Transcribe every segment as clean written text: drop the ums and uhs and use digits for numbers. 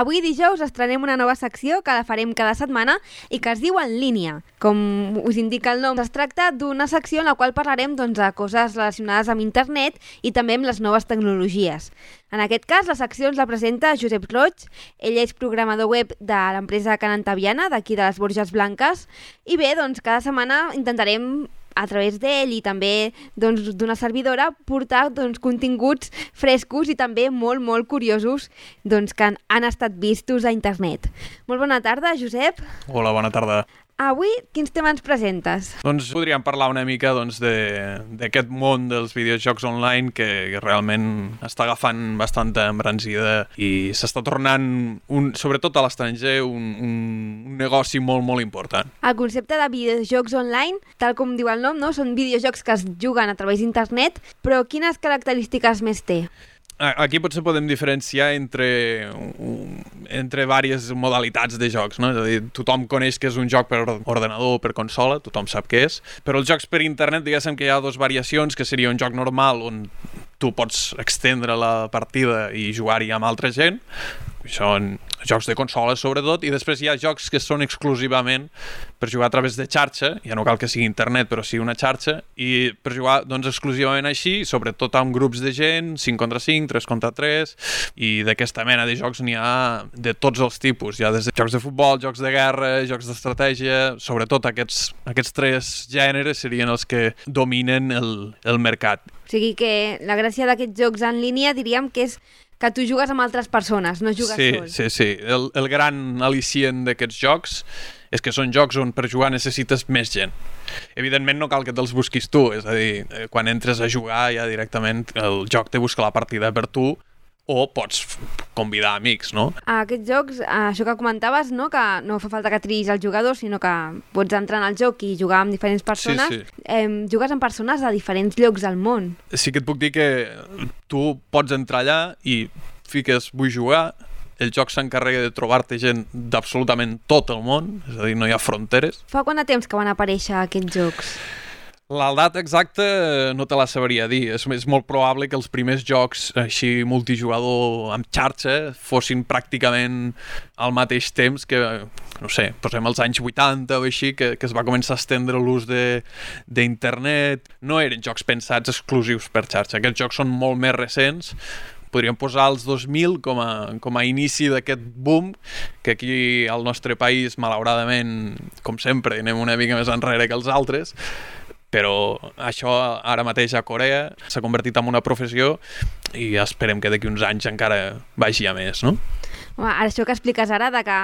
Avui dijous estrenem una nova secció que la farem cada setmana i que es diu En línia. Com us indica el nom, es tracta d'una secció en la qual parlarem de coses relacionades amb internet i també amb les noves tecnologies. En aquest cas, la secció ens la presenta Josep Roig. Ell és programador web de l'empresa Canantaviana, d'aquí de les Borges Blanques. I bé, cada setmana intentarem, a través d'ell i també d'una servidora, portar continguts frescos i també molt, molt curiosos que han estat vistos a internet. Molt bona tarda, Josep. Hola, bona tarda. Avui, quins temes ens presentes? Podríem parlar una mica d'aquest món dels videojocs online que realment està agafant bastanta embranzida i s'està tornant, sobretot a l'estranger, un negoci molt, molt important. El concepte de videojocs online, tal com diu el nom, són videojocs que es juguen a través d'internet, però quines característiques més té? Aquí potser podem diferenciar entre diverses modalitats de jocs, no? És a dir, tothom coneix que és un joc per ordenador o per consola, tothom sap què és, però els jocs per internet, diguéssim que hi ha dues variacions, que seria un joc normal on tu pots extendre la partida i jugar-hi amb altra gent, són jocs de consola sobretot, i després hi ha jocs que són exclusivament per jugar a través de xarxa, ja no cal que sigui internet, però sí una xarxa, i per jugar exclusivament així, sobretot amb grups de gent, 5 contra 5, 3 contra 3, i d'aquesta mena de jocs n'hi ha de tots els tipus, hi ha des de jocs de futbol, jocs de guerra, jocs d'estratègia, sobretot aquests tres gèneres serien els que dominen el mercat. O sigui que la gràcia d'aquests jocs en línia diríem que és que tu jugues amb altres persones, no jugues sol. Sí. El gran al·licient d'aquests jocs és que són jocs on per jugar necessites més gent. Evidentment no cal que te'ls busquis tu, és a dir, quan entres a jugar ja directament el joc te busca la partida per tu o pots convidar amics, no? Aquests jocs, això que comentaves, no? Que no fa falta que triïs el jugador, sinó que pots entrar en el joc i jugar amb diferents persones. Sí. Jugues amb persones de diferents llocs del món. Sí que et puc dir que tu pots entrar allà i fiques vull jugar, el joc s'encarrega de trobar-te gent d'absolutament tot el món, és a dir, no hi ha fronteres. Fa quant de temps que van aparèixer aquests jocs? La data exacta no te la sabria dir. És molt probable que els primers jocs així multijugador amb xarxa fossin pràcticament al mateix temps que, no sé, posem els anys 80 o així, que es va començar a estendre l'ús d'internet. No eren jocs pensats exclusius per xarxa. Aquests jocs són molt més recents. Podríem posar els 2000 com a inici d'aquest boom, que aquí al nostre país, malauradament, com sempre, anem una mica més enrere que els altres, però això ara mateix a Corea s'ha convertit en una professió i esperem que d'aquí uns anys encara vagi a més, no? Home, això que expliques ara de que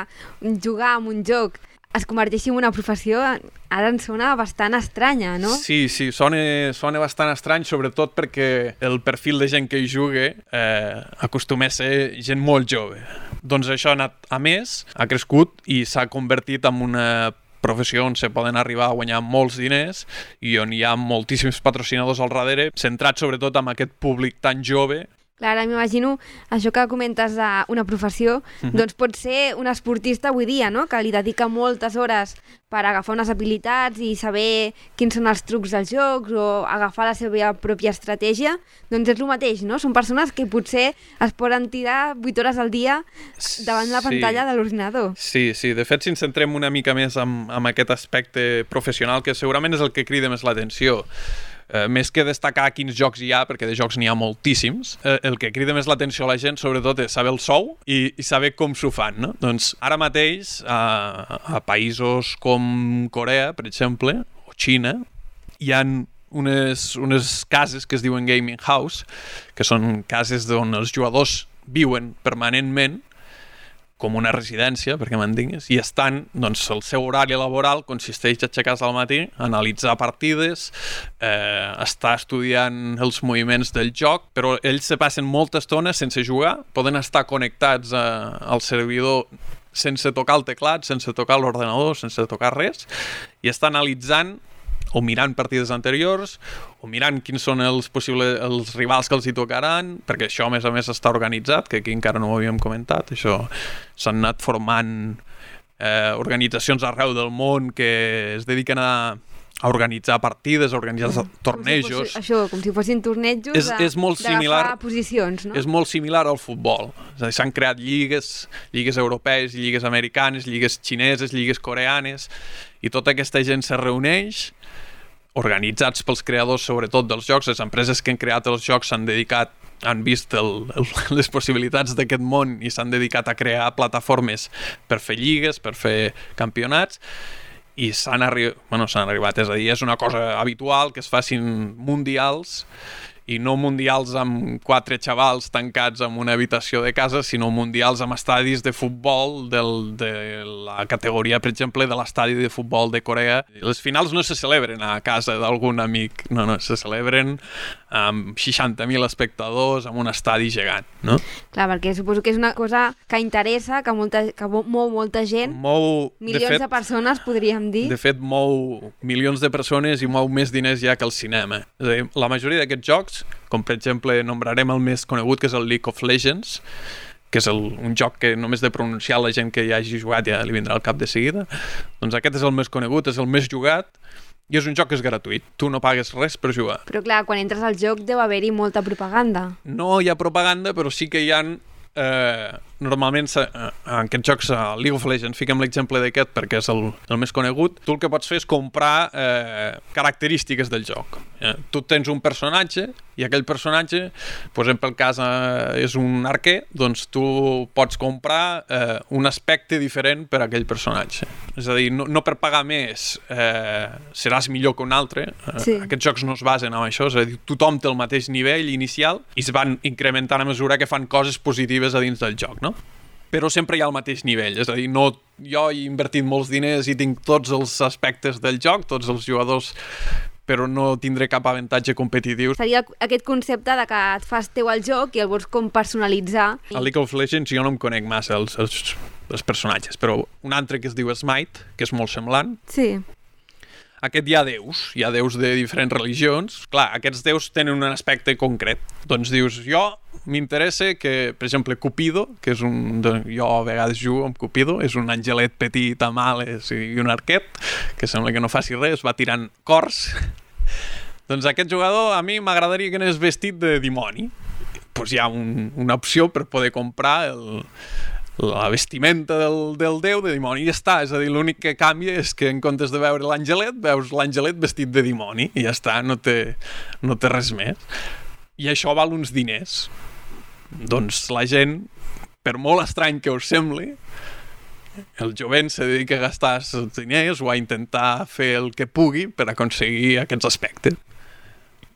jugar amb un joc es converteixi en una professió, ara ens sona bastant estranya, no? Sí, sona bastant estrany, sobretot perquè el perfil de gent que hi juga acostuma a ser gent molt jove. Doncs això ha anat a més, ha crescut i s'ha convertit en una professió on se poden arribar a guanyar molts diners i on hi ha moltíssims patrocinadors al darrere, centrats sobretot en aquest públic tan jove. Clar, ara m'imagino això que comentes d'una professió, doncs pot ser un esportista avui dia, no? Que li dedica moltes hores per agafar unes habilitats i saber quins són els trucs dels jocs o agafar la seva pròpia estratègia, doncs és el mateix, no? Són persones que potser es poden tirar 8 hores al dia davant la pantalla de l'ordinador. Sí, de fet, si ens centrem una mica més en aquest aspecte professional, que segurament és el que crida més l'atenció, més que destacar quins jocs hi ha, perquè de jocs n'hi ha moltíssims, el que crida més l'atenció a la gent sobretot és saber el sou i saber com s'ho fan, no? Doncs ara mateix a països com Corea, per exemple, o Xina, hi ha unes cases que es diuen gaming house, que són cases on els jugadors viuen permanentment com una residència, perquè m'entenguis, i estan, doncs, el seu horari laboral consisteix a aixecar-se al matí, analitzar partides, estar estudiant els moviments del joc, però ells se passen molta estona sense jugar, poden estar connectats al servidor sense tocar el teclat, sense tocar l'ordenador, sense tocar res, i estar analitzant o mirant partides anteriors, o mirant quins són els rivals que els hi tocaran, perquè això, a més, està organitzat, que aquí encara no ho havíem comentat. Això s'han anat formant organitzacions arreu del món que es dediquen a a organitzar partides, a organitzar tornejos. Com si fossin tornejos és molt similar, posicions, no? És molt similar al futbol. És a dir, s'han creat lligues europees, lligues americanes, lligues xineses, lligues coreanes, i tota aquesta gent se reuneix, organitzats pels creadors, sobretot dels jocs. Les empreses que han creat els jocs han vist les possibilitats d'aquest món i s'han dedicat a crear plataformes per fer lligues, per fer campionats, i s'han arribat, és a dir, és una cosa habitual que es facin mundials, i no mundials amb 4 xavals tancats en una habitació de casa, sinó mundials amb estadis de futbol de la categoria, per exemple, de l'estadi de futbol de Corea. Les finals no se celebren a casa d'algun amic, no, se celebren amb 60.000 espectadors, amb un estadi gegant, no? Clar, perquè suposo que és una cosa que interessa, que mou molta gent, milions de persones, podríem dir. De fet, mou milions de persones i mou més diners ja que el cinema. És a dir, la majoria d'aquests jocs, com per exemple nombrarem el més conegut, que és el League of Legends, que és un joc que només de pronunciar la gent que ja hagi jugat ja li vindrà al cap de seguida, doncs aquest és el més conegut, és el més jugat, i és un joc que és gratuït. Tu no pagues res per jugar. Però clar, quan entres al joc deu haver-hi molta propaganda. No hi ha propaganda, però sí que hi ha... normalment en aquests jocs, a League of Legends, fiquem l'exemple d'aquest perquè és el més conegut, tu el que pots fer és comprar característiques del joc. Tu tens un personatge i aquell personatge, posem pel cas és un arquer, doncs tu pots comprar un aspecte diferent per a aquell personatge. És a dir, no per pagar més seràs millor que un altre. Sí. Aquests jocs no es basen en això, és a dir, tothom té el mateix nivell inicial i es van incrementant a mesura que fan coses positives a dins del joc, no? Però sempre hi ha el mateix nivell, és a dir, jo he invertit molts diners i tinc tots els aspectes del joc, tots els jugadors, però no tindré cap avantatge competitiu. Seria aquest concepte de que et fas teu el joc i el vols com personalitzar. A League of Legends jo no em conec massa els personatges, però un altre que es diu Smite, que és molt semblant. Sí. Hi ha déus de diferents religions. Clar, aquests déus tenen un aspecte concret. Doncs dius, jo m'interessa que, per exemple, Cupido, que és jo a vegades jugo amb Cupido, és un angelet petit amb ales i un arquet, que sembla que no faci res, va tirant cors. Doncs aquest jugador a mi m'agradaria que anés vestit de dimoni. Doncs hi ha una opció per poder comprar la vestimenta del déu de dimoni i ja està, és a dir, l'únic que canvia és que en comptes de veure l'angelet, veus l'angelet vestit de dimoni i ja està, no té res més. I això val uns diners. Doncs la gent, per molt estrany que us sembli, el jovent se dedica a gastar els diners o a intentar fer el que pugui per aconseguir aquests aspectes,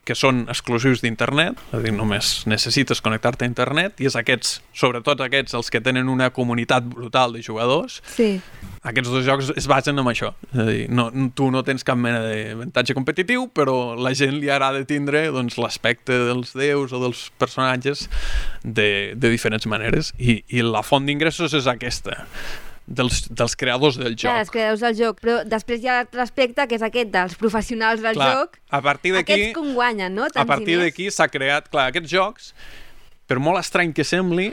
que són exclusius d'internet, és a dir, només necessites connectar-te a internet, i és sobretot aquests, els que tenen una comunitat brutal de jugadors. Sí. Aquests dos jocs es basen en això. És a dir, tu no tens cap mena d'avantatge competitiu, però la gent li agrada tindre l'aspecte dels déus o dels personatges de diferents maneres. I la font d'ingressos és aquesta, dels creadors del joc. Clar, els creadors del joc, però després hi ha l'altre aspecte, que és aquest dels professionals del joc. A partir d'aquí, aquests com guanyen, no? A partir d'aquí s'ha creat, aquests jocs, per molt estrany que sembli,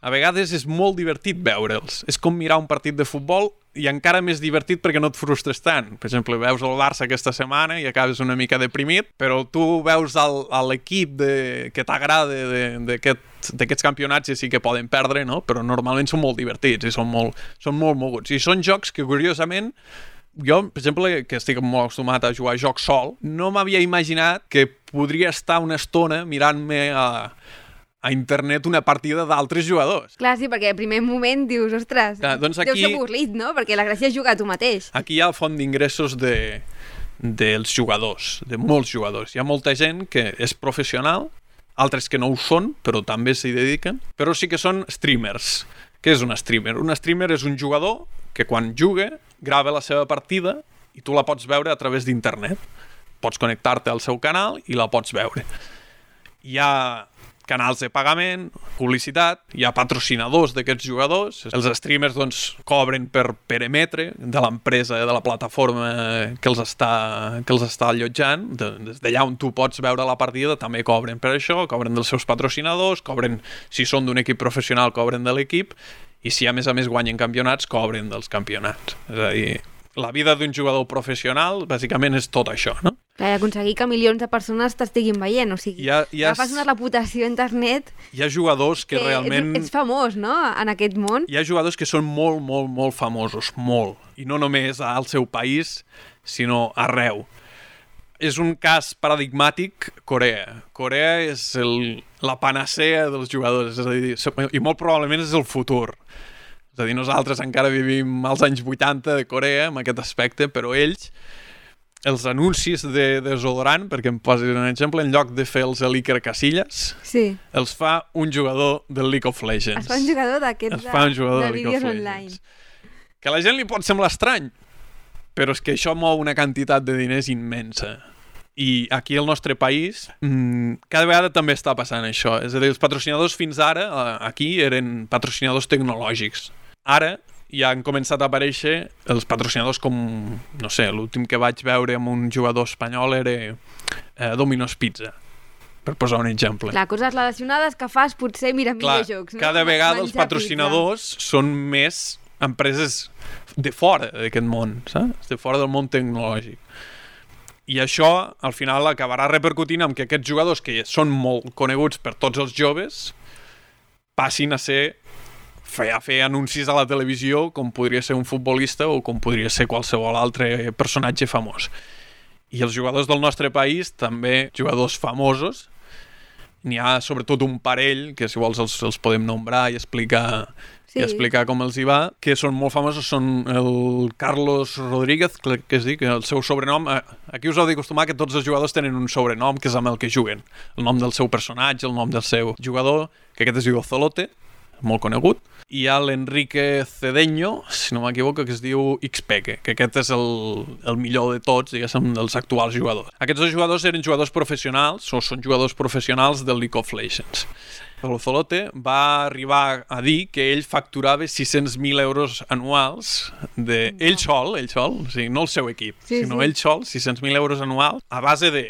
a vegades és molt divertit veure'ls. És com mirar un partit de futbol i encara més divertit perquè no et frustres tant. Per exemple, veus el Barça aquesta setmana i acabes una mica deprimit, però tu veus l'equip que t'agrada d'aquests campionats i sí que poden perdre, no? Però normalment són molt divertits i són molt moguts. I són jocs que, curiosament, jo, per exemple, que estic molt acostumat a jugar a jocs sol, no m'havia imaginat que podria estar una estona mirant-me a internet una partida d'altres jugadors. Clar, sí, perquè al primer moment dius, ostres, doncs aquí, deu ser avorrit, no? Perquè la gràcia és jugar tu mateix. Aquí hi ha font d'ingressos dels jugadors, de molts jugadors. Hi ha molta gent que és professional, altres que no ho són, però també s'hi dediquen, però sí que són streamers. Què és un streamer? Un streamer és un jugador que quan juga grava la seva partida i tu la pots veure a través d'internet. Pots connectar-te al seu canal i la pots veure. Hi ha canals de pagament, publicitat, hi ha patrocinadors d'aquests jugadors. Els streamers cobren per emetre de l'empresa, de la plataforma que els està allotjant. Des d'allà on tu pots veure la partida també cobren per això, cobren dels seus patrocinadors, cobren, si són d'un equip professional, cobren de l'equip, i si a més guanyen campionats, cobren dels campionats. És a dir, la vida d'un jugador professional, bàsicament, és tot això, no? Clar, aconseguir que milions de persones t'estiguin veient, o sigui, agafes una reputació a internet... Hi ha jugadors que realment... Ets famós, no?, en aquest món. Hi ha jugadors que són molt, molt, molt famosos, molt. I no només al seu país, sinó arreu. És un cas paradigmàtic Corea. Corea és la panacea dels jugadors, és a dir, i molt probablement és el futur. És a dir, nosaltres encara vivim als anys 80 de Corea amb aquest aspecte, però ells, els anuncis de desodorant, perquè em posis un exemple, en lloc de fer els Iker Casillas, els fa un jugador del League of Legends. Es fa un jugador d'aquests de vídeos online. Que a la gent li pot semblar estrany, però és que això mou una quantitat de diners immensa. I aquí al nostre país cada vegada també està passant això. És a dir, els patrocinadors fins ara aquí eren patrocinadors tecnològics. Ara ja han començat a aparèixer els patrocinadors com, no sé, l'últim que vaig veure amb un jugador espanyol era Domino's Pizza, per posar un exemple. Clar, coses relacionades que fas potser millors jocs. No? Cada vegada els patrocinadors són més empreses de fora d'aquest món, saps? De fora del món tecnològic. I això, al final, acabarà repercutint en que aquests jugadors, que són molt coneguts per tots els joves, passin a fer anuncis a la televisió com podria ser un futbolista o com podria ser qualsevol altre personatge famós. I els jugadors del nostre país, també jugadors famosos, n'hi ha sobretot un parell, que si vols els podem nombrar i explicar com els hi va, que són molt famosos, són el Carlos Rodríguez, que es diu, que el seu sobrenom, aquí us heu d'acostumar que tots els jugadors tenen un sobrenom que és amb el que juguen, el nom del seu personatge, el nom del seu jugador, que aquest es diu Ozolote, molt conegut, i hi ha l'Enrique Cedeño, si no m'equivoco, que es diu Xpeque, que aquest és el millor de tots, diguéssim, dels actuals jugadors. Aquests dos jugadors eren jugadors professionals, o són jugadors professionals del League of Legends. Ozolote va arribar a dir que ell facturava 600.000 euros anuals ell sol, o sigui, no el seu equip, sinó ell sol, 600.000 euros anuals, a base de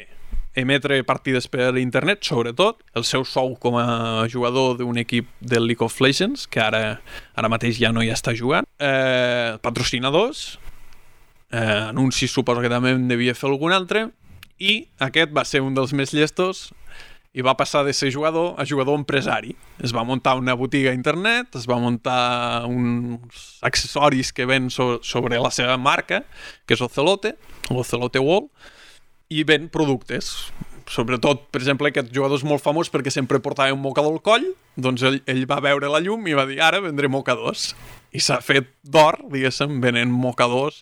emetre partides per internet, sobretot, el seu sou com a jugador d'un equip del League of Legends, que ara mateix ja no hi està jugant, patrocinadors, anuncis suposo que també en devia fer algun altre, i aquest va ser un dels més llestos i va passar de ser jugador a jugador empresari. Es va muntar una botiga a internet, es va muntar uns accessoris que ven sobre la seva marca, que és Ocelote Wall, i ven productes. Sobretot, per exemple, aquest jugador és molt famós perquè sempre portava un mocador al coll, doncs ell va veure la llum i va dir, ara vendré mocadors. I s'ha fet d'or, diguéssim, venent mocadors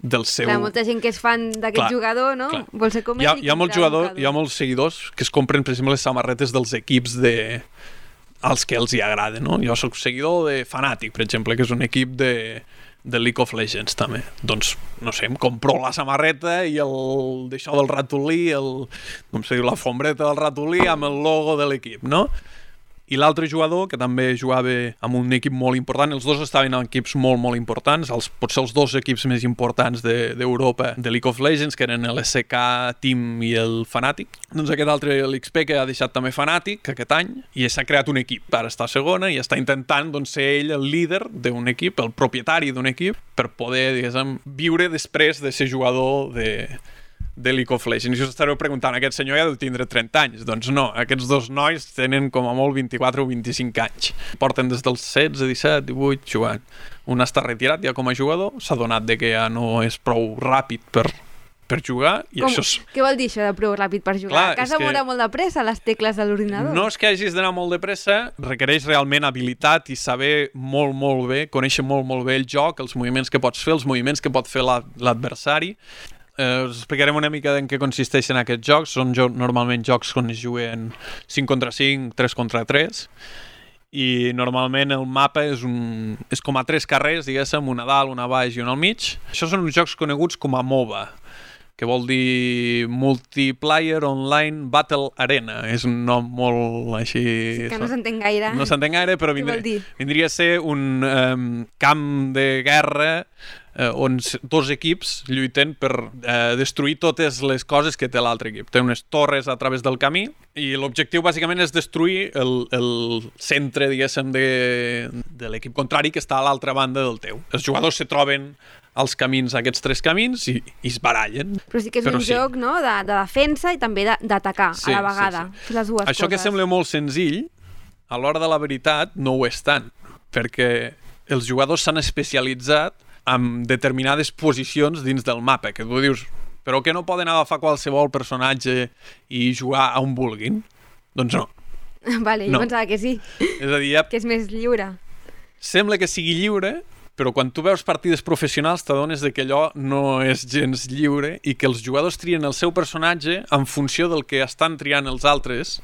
del seu... Clar, molta gent que és fan d'aquest jugador, no? Clar. Vol ser com ell hi ha molts seguidors que es compren, per exemple, les samarretes dels equips als que els hi agrada, no? Jo soc seguidor de Fnatic, per exemple, que és un equip de League of Legends, també. Doncs, no sé, em compro la samarreta i d'això del ratolí, com se diu, la fombreta del ratolí amb el logo de l'equip, no? I l'altre jugador, que també jugava amb un equip molt important, els dos estaven en equips molt, molt importants, potser els dos equips més importants d'Europa de League of Legends, que eren l'SK Team i el Fnatic. Doncs aquest altre, l'XP, que ha deixat també Fnatic aquest any, i s'ha creat un equip. Ara està a segona i està intentant ser ell el líder d'un equip, el propietari d'un equip, per poder, diguéssim, viure després de ser jugador de League of Legends. I us estareu preguntant, aquest senyor ja deu tindre 30 anys. Doncs no, aquests dos nois tenen com a molt 24 o 25 anys. Porten des dels 16, 17, 18 jugant. Un està retirat ja com a jugador, s'ha donat que ja no és prou ràpid per jugar. I això és... Què vol dir això de prou ràpid per jugar? Clar, que has de moure molt de pressa les tecles de l'ordinador? No és que hagis d'anar molt de pressa, requereix realment habilitat i saber molt, molt bé, conèixer molt, molt bé el joc, els moviments que pots fer, els moviments que pot fer l'adversari. Us explicarem una mica en què consisteixen aquests jocs. Són normalment jocs on es juguen 5 contra 5, 3 contra 3, i normalment el mapa és com a 3 carrers, diguéssim, una a dalt, una a baix i una al mig. Això són uns jocs coneguts com a MOBA, que vol dir Multiplayer Online Battle Arena. És un nom molt així... Sí, que no s'entén gaire. No s'entén gaire, però vindria a ser un camp de guerra on dos equips lluiten per destruir totes les coses que té l'altre equip. Té unes torres a través del camí i l'objectiu bàsicament és destruir el centre, diguéssim, de l'equip contrari que està a l'altra banda del teu. Els jugadors se troben els camins, aquests 3 camins, i es barallen. Però sí que és un joc, no?, de defensa i també d'atacar a la vegada. Sí. Les dues Això coses. que sembla molt senzill, a l'hora de la veritat no ho és tant, perquè els jugadors s'han especialitzat en determinades posicions dins del mapa, que tu dius, però que no poden agafar qualsevol personatge i jugar a on vulguin? Doncs no. Vale, jo pensava que sí. És a dir, que és més lliure. Sembla que sigui lliure, però quan tu veus partides professionals t'adones que allò no és gens lliure i que els jugadors trien el seu personatge en funció del que estan triant els altres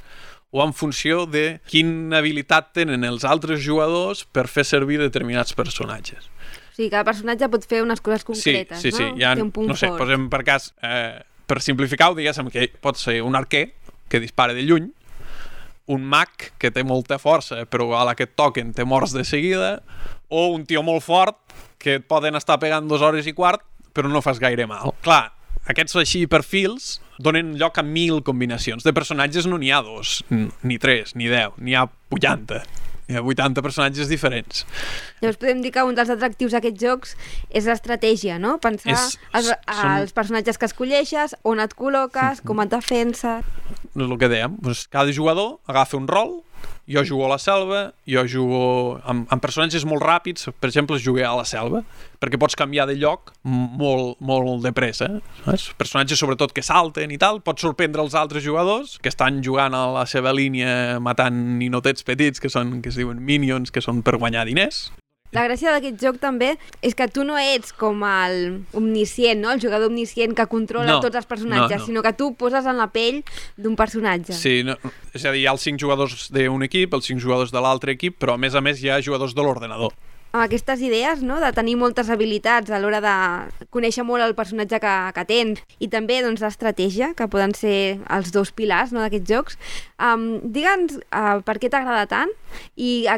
o en funció de quina habilitat tenen els altres jugadors per fer servir determinats personatges. O sigui, cada personatge pot fer unes coses concretes, sí, no? Ja, té un punt no sé, fort. posem per cas, per simplificar-ho, diguéssim que pot ser un arquer que dispara de lluny, un mag que té molta força però a la que et toquen te mors de seguida, o un tio molt fort que et poden estar pegant 2 hores i quart però no fas gaire mal. Clar, aquests així perfils donen lloc a 1000 combinacions. De personatges no n'hi ha 2, ni 3, ni 10, n'hi ha 80. Hi ha 80 personatges diferents. Llavors podem dir que un dels atractius d'aquests jocs és l'estratègia, no? Pensar els personatges que escolleixes, on et col·loques, com et defenses... És el que dèiem. Cada jugador agafa un rol, jo jugo a la selva, jo jugo amb personatges molt ràpids, per exemple, jugué a la selva, perquè pots canviar de lloc molt de pressa. Personatges, sobretot, que salten i tal, pots sorprendre els altres jugadors que estan jugant a la seva línia matant ninotets petits, que es diuen minions, que són per guanyar diners. La gràcia d'aquest joc també és que tu no ets com el omniscient, no? El jugador omniscient que controla tots els personatges, sinó que tu poses en la pell d'un personatge. Sí, és a dir, hi ha els 5 jugadors d'un equip, els 5 jugadors de l'altre equip, però a més hi ha jugadors de l'ordenador. Amb aquestes idees, no?, de tenir moltes habilitats a l'hora de conèixer molt el personatge que tens i també doncs, l'estratègia, que poden ser els 2 pilars, no?, d'aquests jocs. Digue'ns per què t'agrada tant i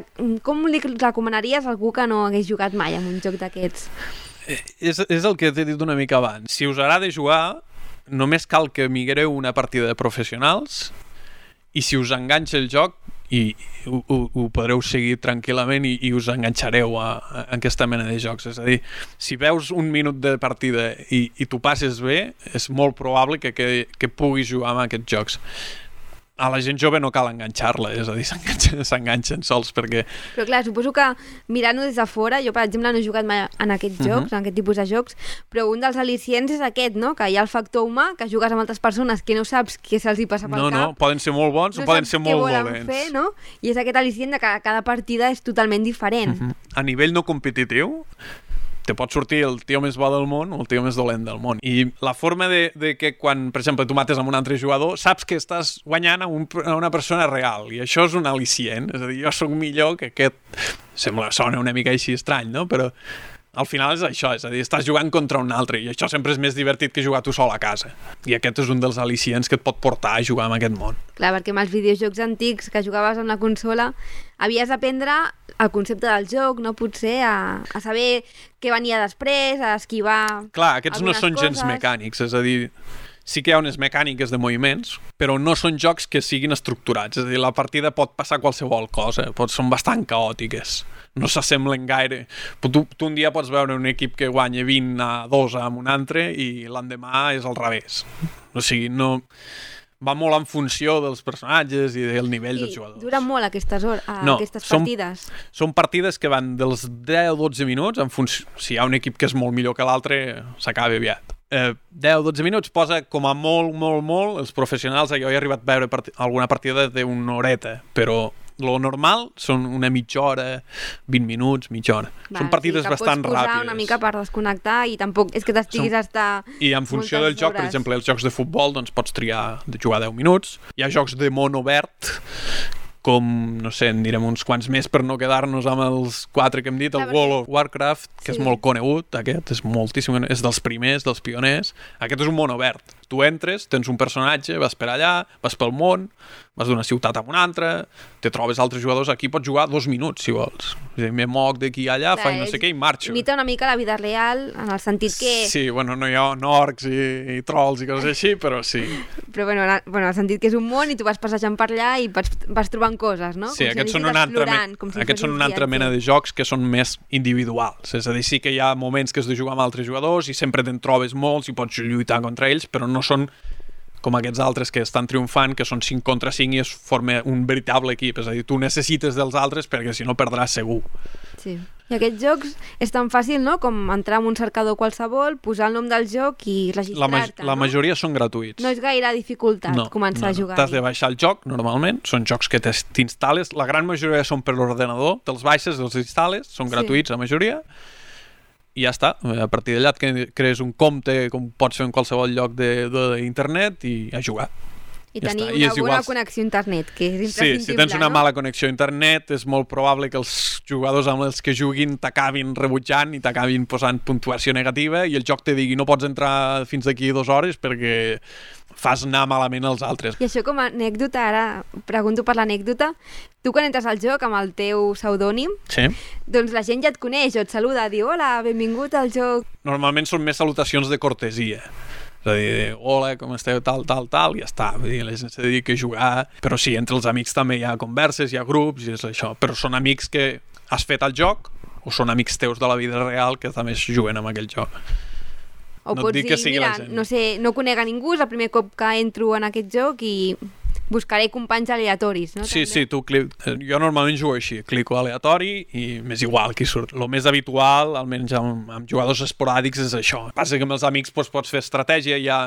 com li recomanaries a algú que no hagués jugat mai en un joc d'aquests? És el que t'he dit una mica abans. Si us agrada jugar, només cal que migreu una partida de professionals i si us enganxa el joc i ho podreu seguir tranquil·lament i us enganxareu a aquesta mena de jocs. És a dir, si veus un minut de partida i t'ho passes bé, és molt probable que puguis jugar amb aquests jocs. A la gent jove no cal enganxar-la, és a dir, s'enganxen sols perquè... Però clar, suposo que mirant-ho des de fora, jo per exemple no he jugat mai en aquests jocs, en aquest tipus de jocs, però un dels al·licients és aquest, no?, que hi ha el factor humà, que jugues amb altres persones que no saps què se'ls hi passa pel cap. No, poden ser molt bons o poden ser molt dolents. Fer, no? I és aquest al·licient de que cada partida és totalment diferent. A nivell no competitiu, te pot sortir el tio més bo del món o el tio més dolent del món. I la forma de que quan, per exemple, tu mates amb un altre jugador, saps que estàs guanyant a una persona real, i això és un al·licient. És a dir, jo sóc millor que aquest... Sona una mica així estrany, no? Però al final és això, és a dir, estàs jugant contra un altre, i això sempre és més divertit que jugar tu sol a casa. I aquest és un dels al·licients que et pot portar a jugar en aquest món. Clar, perquè amb els videojocs antics que jugaves amb la consola havies d'aprendre el concepte del joc, no? Potser a saber què venia després, a esquivar... Clar, aquests no són gens mecànics, és a dir, sí que hi ha unes mecàniques de moviments, però no són jocs que siguin estructurats, és a dir, la partida pot passar qualsevol cosa, són bastant caòtiques, no s'assemblen gaire. Tu un dia pots veure un equip que guanya 20-2 amb un altre i l'endemà és al revés. O sigui, no... va molt en funció dels personatges i del nivell dels jugadors. Duren molt aquestes partides? Són partides que van dels 10-12 minuts, si hi ha un equip que és molt millor que l'altre, s'acaba aviat. 10-12 minuts posa com a molt els professionals. Jo he arribat a veure alguna partida d'una horeta, però lo normal són una mitja hora, 20 minuts, mitja hora. Són partides bastant ràpides. Pots posar una mica per desconnectar i tampoc és que t'estiguis a estar... I en funció del joc, per exemple, els jocs de futbol, doncs pots triar de jugar 10 minuts. Hi ha jocs de món obert, com, no sé, en direm uns quants més per no quedar-nos amb els 4 que hem dit, el World of Warcraft, que és molt conegut, aquest és moltíssim, és dels primers, dels pioners. Aquest és un món obert. Tu entres, tens un personatge, vas per allà, vas pel món, vas d'una ciutat a una altra, te trobes altres jugadors, aquí pots jugar 2 minuts, si vols. Me moc d'aquí a allà, faig no sé què i marxo. Imita una mica la vida real, en el sentit que... Sí, bueno, no hi ha orcs i trolls i coses així, però sí. Però bueno, en el sentit que és un món i tu vas passejant per allà i vas trobant coses, no? Sí, aquests són una altra mena de jocs que són més individuals. És a dir, sí que hi ha moments que has de jugar amb altres jugadors i sempre te'n trobes molts i pots lluitar contra ells, però no són com aquests altres que estan triomfant, que són 5 contra 5 i es forma un veritable equip. És a dir, tu necessites dels altres perquè si no perdràs segur. Sí. I aquests jocs és tan fàcil, no?, com entrar en un cercador qualsevol, posar el nom del joc i registrar-te, La majoria són gratuïts. No és gaire dificultat començar a jugar. T'has de baixar el joc, normalment. Són jocs que t'instal·les. La gran majoria són per l'ordenador. Te'ls baixes, els instal·les. Són gratuïts, la majoria. I ja està. A partir d'allà et crees un compte, com pots fer en qualsevol lloc d'internet i a jugar. I tenir una bona connexió a internet, que és imprescindible, si tens una mala connexió a internet és molt probable que els jugadors amb els que juguin t'acabin rebutjant i t'acabin posant puntuació negativa i el joc te digui no pots entrar fins d'aquí 2 hores perquè fas anar malament als altres. I això com a anècdota, ara pregunto per l'anècdota, tu quan entres al joc amb el teu pseudònim, doncs la gent ja et coneix o et saluda, diu hola, benvingut al joc. Normalment són més salutacions de cortesia. És a dir, hola, com esteu, tal, i ja està. Vull dir, la gent s'ha de dir que jugar... Però sí, entre els amics també hi ha converses, hi ha grups, i és això. Però són amics que has fet al joc o són amics teus de la vida real que també juguen amb aquell joc. O no pots dir, mira, no sé, no conec a ningú, és el primer cop que entro en aquest joc i buscaré companys aleatoris, no? Sí, sí, jo normalment jugo així, clico aleatori i m'és igual qui surt. El més habitual, almenys amb jugadors esporàdics, és això. Passa que amb els amics pots fer estratègia, hi ha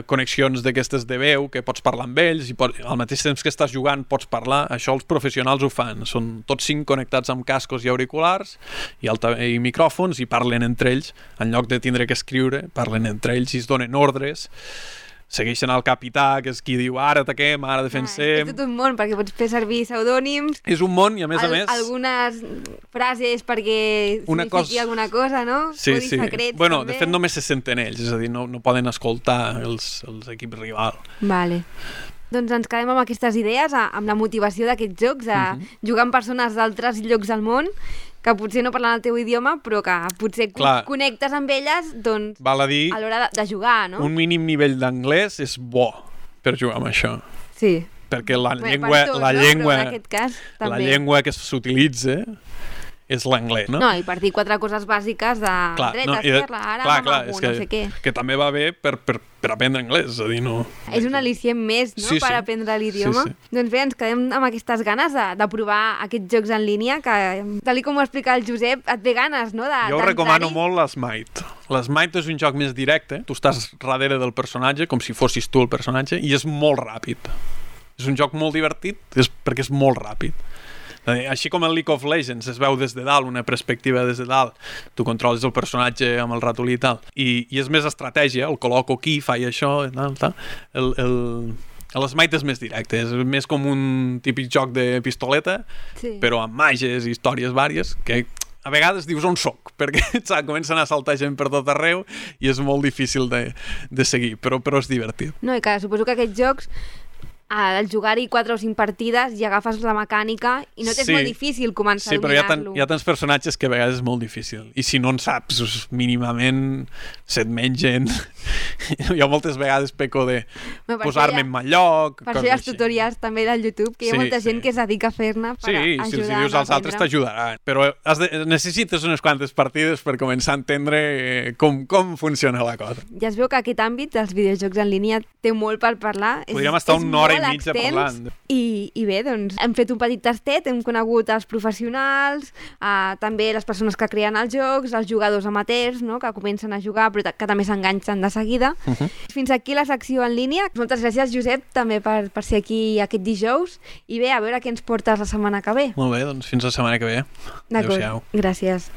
connexions d'aquestes de veu que pots parlar amb ells i al mateix temps que estàs jugant pots parlar. Això els professionals ho fan. Són tots 5 connectats amb cascos i auriculars i micròfons i parlen entre ells. En lloc de tindre que escriure, parlen entre ells i es donen ordres. Segueixen el capità, que és qui diu ara ataquem, ara defensem... És tot un món, perquè pots fer servir pseudònims... És un món i a més a més... Algunes frases perquè signifiqui alguna cosa, no? Sí, sí. Secrets, bueno, també. De fet només se senten ells, és a dir, no poden escoltar els equips rival. Vale. Doncs ens quedem amb aquestes idees, amb la motivació d'aquests jocs, a jugar amb persones d'altres llocs del món, que potser no parlen el teu idioma, però que potser connectes amb elles, doncs, val a dir, a l'hora de jugar, no? Un mínim nivell d'anglès és bo per jugar amb això. Sí. Perquè la llengua que s'utilitza és l'anglès, no? No, i per dir 4 coses bàsiques de dreta, esquerra, ara, no sé què. Que també va bé per aprendre anglès, és a dir, no... És un al·licient més, no?, per aprendre l'idioma. Doncs bé, ens quedem amb aquestes ganes de provar aquests jocs en línia, que, tal com ho explica el Josep, et ve ganes, no?, Jo recomano molt l'Smite. L'Smite és un joc més directe, tu estàs darrere del personatge, com si fossis tu el personatge, i és molt ràpid. És un joc molt divertit, perquè és molt ràpid. Així com el League of Legends es veu des de dalt, una perspectiva des de dalt, tu controles el personatge amb el ratolí i tal, i és més estratègia, el col·loco aquí, faig això, tal. L'Smite és més directe, és més com un típic joc de pistoleta, però amb màgies i històries vàries, que a vegades dius on soc, perquè comencen a saltar gent per tot arreu i és molt difícil de seguir, però és divertit. No, i que suposo que aquests jocs al jugar-hi 4 o 5 partides ja agafes la mecànica i no t'és molt difícil començar a dominar-lo. Sí, però hi ha tants personatges que a vegades és molt difícil. I si no en saps, mínimament se't mengen. Jo moltes vegades peco de posar-me en mal lloc. Per això hi ha els tutorials també del YouTube, que hi ha molta gent que es dedica a fer-ne per ajudar. Sí, si els dius als altres t'ajudaran. Però necessites unes quantes partides per començar a entendre com funciona la cosa. Ja es veu que aquest àmbit dels videojocs en línia té molt per parlar. Podríem estar una hora i mitja parlant. I bé, doncs hem fet un petit tastet, hem conegut els professionals, també les persones que creen els jocs, els jugadors amateurs, no?, que comencen a jugar però que també s'enganxen de seguida. Fins aquí la secció en línia. Moltes gràcies, Josep, també per ser aquí aquest dijous. I bé, a veure què ens portes la setmana que ve. Molt bé, doncs fins la setmana que ve. D'acord, gràcies.